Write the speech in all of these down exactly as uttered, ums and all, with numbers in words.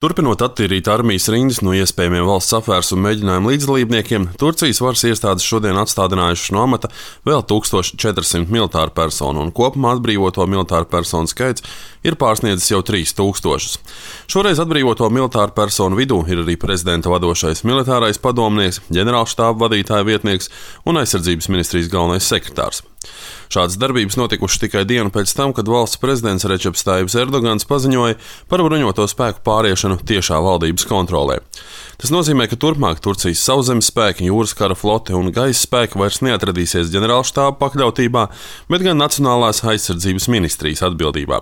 Turpinot attīrīt armijas rindas no iespējamiem valsts apvērsuma mēģinājumu līdzdalībniekiem, Turcijas varas iestādes šodien atstādinājušas no amata vēl tūkstoš četrsimt militāru personu, un kopumā atbrīvoto militāru personu skaits ir pārsniedzis jau trīs tūkstošus. Šoreiz atbrīvoto militāru personu vidū ir arī prezidenta vadošais militārais padomnieks, ģenerālštāba vadītāja vietnieks un aizsardzības ministrijas galvenais sekretārs. Šādas darbības notikušas tikai dienu pēc tam, kad valsts prezidents Rečeps Tajibs Erdogans paziņoja par bruņoto spēku pāriešanu tiešā valdības kontrolē. Tas nozīmē, ka turpmāk Turcijas sauszemes spēki, jūras kara flote un gaisa spēki vairs neatradīsies ģenerālštāba pakļautībā, bet gan Nacionālās aizsardzības ministrijas atbildībā.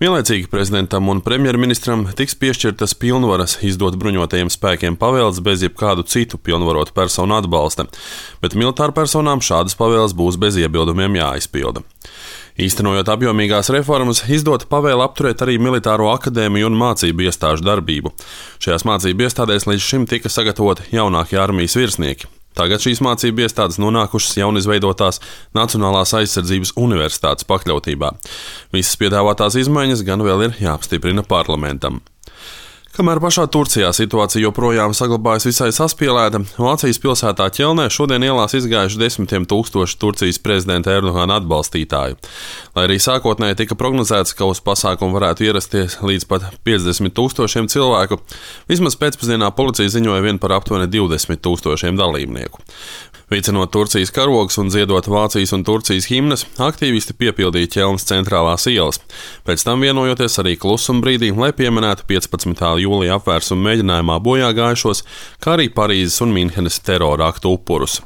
Vienlaicīgi prezidentam un premjerministram tiks piešķirtas pilnvaras izdot bruņotajiem spēkiem pavēles bez jebkādu citu pilnvarotu personu atbalsta, bet militāru personām šādas pavēles būs bez iebildumiem jāizpilda. Īstenojot apjomīgās reformas, izdota pavēle apturēt arī militāro akadēmiju un mācību iestāžu darbību. Šajās mācību iestādēs līdz šim tika sagatavoti jaunākie armijas virsnieki. Tagad šīs mācību iestādes nonākušas jaunizveidotās Nacionālās aizsardzības universitātes pakļautībā. Visas piedāvātās izmaiņas gan vēl ir jāapstiprina parlamentam. Kamēr pašā Turcijā situācija joprojām saglabājas visai saspīlēta, Vācijas pilsētā Ķelnē šodien ielās izgājuši desmitiem tūkstoši Turcijas prezidenta Erdogana atbalstītāju. Lai arī sākotnēji tika prognozēts, ka uz pasākumu varētu ierasties līdz pat piecdesmit tūkstošiem cilvēku, vismaz pēcpusdienā policija ziņoja vien par aptuveni divdesmit tūkstošiem dalībnieku. Vicinot Turcijas karogus un dziedot Vācijas un Turcijas himnas, aktīvisti piepildīja Ķelnas centrālās ielas. Pēc tam vienojoties arī klusumbrīdī, lai pieminētu piecpadsmitā jūlija apvērsuma mēģinājumā bojā gājušos, kā arī Parīzes un Minhenes terora aktu upurus.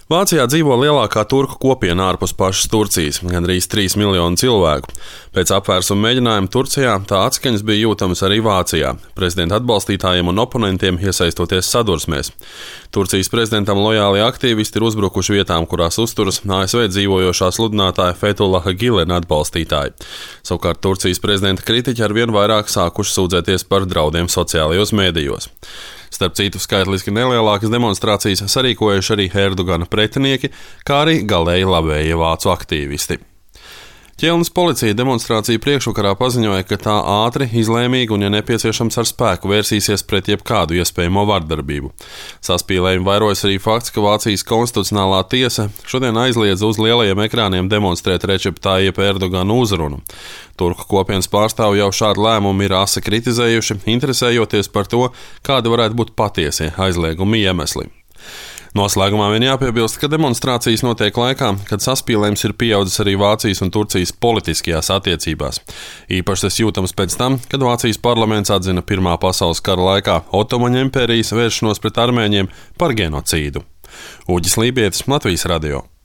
Vācijā dzīvo lielākā turku kopiena ārpus pašas Turcijas, gandrīz trīs miljoni cilvēku. Pēc apvērsuma mēģinājuma Turcijā tā atskaņas bija jūtamas arī Vācijā, prezidenta atbalstītājiem un oponentiem iesaistoties sadursmēs. Turcijas prezidentam lojāli aktīvisti ir uzbrukuši vietām, kurās uzturas A S V dzīvojošā sludinātāja Fethullaha Gilena atbalstītāji. Savukārt Turcijas prezidenta kritiķi arvien vairāk sākuši sūdzēties par draudiem sociālajos mēdījos. Starp citu, skaitliski nelielākas demonstrācijas sarīkojuši arī Erdogana pretinieki, kā arī galēji labējie vācu aktīvisti. Ķelnas policija demonstrāciju priekšvakarā paziņoja, ka tā ātri, izlēmīgi un, ja nepieciešams, ar spēku vērsīsies pret jebkādu iespējamo vardarbību. Saspīlējumu vairojas arī fakts, ka Vācijas konstitucionālā tiesa šodien aizliedza uz lielajiem ekrāniem demonstrēt Rečepa Tajipa Erdogana uzrunu. Turku kopienas pārstāvji jau šādu lēmumu ir asi kritizējuši, interesējoties par to, kādi varētu būt patiesie aizlieguma iemesli. Noslēgumā vien jāpiebilst, ka demonstrācijas notiek laikā, kad saspīlējums ir pieaudzis arī Vācijas un Turcijas politiskajās attiecībās. Īpaši tas jūtams pēc tam, kad Vācijas parlaments atzina Pirmā pasaules kara laikā Otomaņu impērijas vēršanos pret armēņiem par genocīdu. Uģis Lībietis, Latvijas radio.